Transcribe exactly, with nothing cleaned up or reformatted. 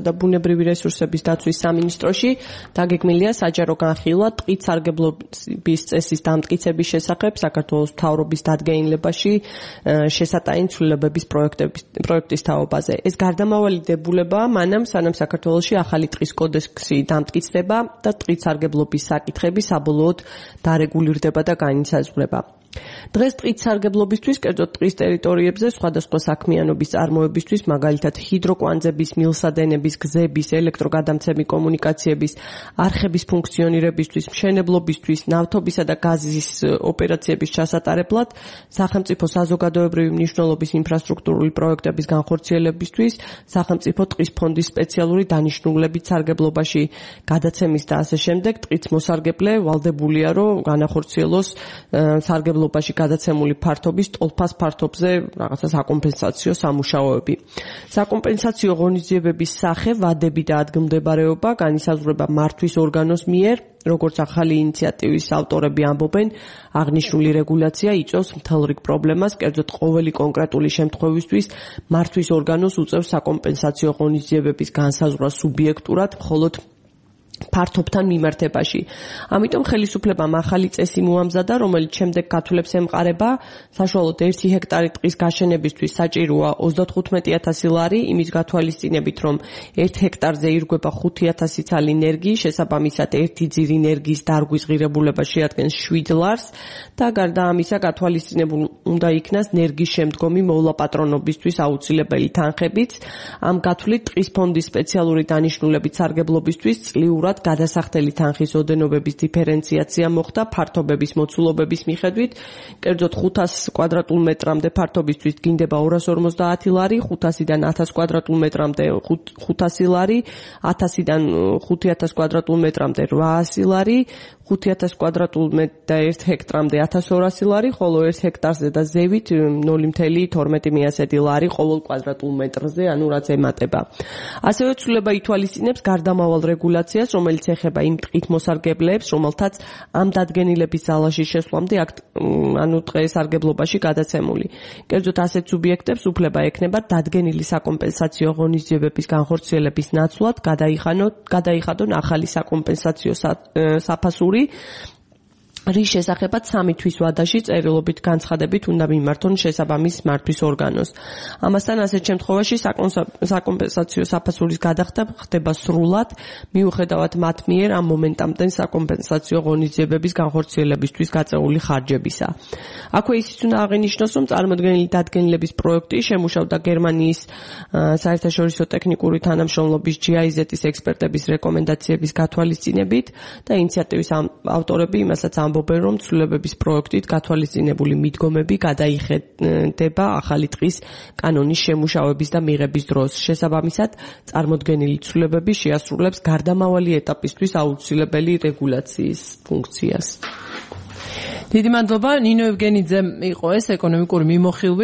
და ბუნებრივი რესურსების დაცვის სამინისტროში დაგეგმილია საჯარო განხილვა ტყით სარგებლობის წესის დამტკიცების შესახებ საქართველოს მთავრობის დადგენილებაში შესატანი ცვლილებების პროექტის თაობაზე. ეს გარდამავალი დებულებაა მანამ სანამ საქართველოში ახალი ტყის კოდექსი დამტკიცდება და ტყით სარგებლობის საკითხები საბოლოოდ დარეგულირდება და განისაზღვრება. დღეს ტყით სარგებლობისთვის, კერძოდ ტყის ტერიტორიებზე სხვადასხვა საქმიანობის წარმოებისთვის, მაგალითად ჰიდროკვანძების, მილსადენების, გზების, ელექტროგადამცემი კომუნიკაციების, არხების ფუნქციონირებისთვის, მშენებლობისთვის, ნავთობისა და გაზის ოპერაციების ჩასატარებლად, სახელმწიფო საზოგადოებრივი მნიშვნელობის ინფრასტრუქტურული პროექტების განხორციელებისთვის, სახელმწიფო ტყის ფონდის სპეციალური დანიშნულებით სარგებლობაში გადაცემის და ასე შემდეგ, ტყით მოსარგებლე ვალდებულია, რომ განახორციელოს სარგებლობა გადაცემული ფართობის ტოლფას ფართობზე რაღაცა საკომპენსაციო სამუშაოები. საკომპენსაციო ღონისძიებების სახე, ვადები და ადგილმდებარეობა განისაზღვრება მართვის ორგანოს მიერ, როგორც ახალი ინიციატივის ავტორები ამბობენ, აღნიშნული რეგულაცია იწვევს მთელ რიგ პრობლემას, კერძოდ ყოველი კონკრეტული შემთხვევისთვის მართვის ორგანოს უწევს საკომპენსაციო ღონისძიებების განსაზღვრა სუბიექტურად, მხოლოდ ფართობთან მიმართებაში. ამიტომ ხელისუფლებამ ახალი წესი მოამზადა, რომელიც შემდეგ გათვლებს ემყარება, საშუალოდ ერთი ჰექტარი ტყის გაშენებისთვის საჭიროა ოცდათხუთმეტი ათასი ლარი, იმის გათვალისწინებით, რომ ერთ ჰექტარზე ირგვება ხუთი ათასი ცალი ენერგიის, შესაბამისად ერთი ძირი ენერგიის დარგვის ღირებულება შეადგენს შვიდ ლარს და გარდა ამისა გათვალისწინებულ უნდა იქნას ენერგიის შემდგომი მოვლაპატრონობისთვის აუცილებელი თანხებიც. ამ გათვლით ტყის ფონდის სპეციალური დანიშნულებით სარგებლობისთვის წლიურად გადასახდელი თანხის ოდენობების დიფერენციაცია მოხდა ფართობების მოცულობების მიხედვით, კერძოდ ხუთას კვადრატულ მეტრამდე ფართობისთვის დგინდება ორას ორმოცდაათი ლარი, ხუთასიდან ათას კვადრატულ მეტრამდე ხუთასი ლარი, ათასიდან ხუთი ათას კვადრატულ მეტრამდე რვაასი ლარი, ხუთი ათას კვადრატულ მეტრ და ერთ ჰექტრამდე ათას ორასი ლარი, ხოლო ერთ ჰექტარზე და ზევით ნული მცდაათი მესამედი ლარი ყოველ კვადრატულ მეტრზე, ანუ რაც ემატება. ასევე ცვლილება ითვალისწინებს გარდამავალ რეგულაციას, რომელიც ეხება იმ ტყით მოსარგებლეებს, რომელთაც ამ დადგენილების ძალაში შესვლამდე ანუ ტყის სარგებლობაში გადაცემული. კერძოდ ასეთ სუბიექტებს უფლება ექნება დადგენილი საკომპენსაციო ღონისძიებების განხორციელების ნაცვლად გადაიხადონ ახალი საკომპენსაციო საფასური, რის შესახებაც სამი თვის ვადაში წერილობით განცხადებით უნდა მიმართონ შესაბამის მართვის ორგანოს. ამასთან ასეთ შემთხვევაში საკომპენსაციო საფასურის გადახდა ხდება სრულად, მიუხედავად მათ მიერ ამ მომენტამდე საკომპენსაციო ღონისძიებების განხორციელებისთვის გაწეული ხარჯებისა. აქვე ისიც უნდა აღინიშნოს, რომ წარმოდგენილი დადგენილების პროექტი შემუშავდა გერმანიის საერთაშორისო ტექნიკური თანამშრომლობის ჯი აი ზეტ-ის ექსპერტების რეკომენდაციების გათვალისწინებით და ინიციატივის ავტორები იმასაც ამბობენ, რომ ცვლილებების პროექტით გათვალისწინებული მიდგომები გადაიხედება ახალი ტყის კანონის შემუშავების და მიღების დროს. შესაბამისად, წარმოდგენილი ცვლილებები შეასრულებს გარდამავალი ეტაპისთვის აუცილებელი რეგულაციის ფუნქციას. დიდი მადლობა, ნინო ევგენიძე იყო ეს ეკონომიკური მიმოხილვი.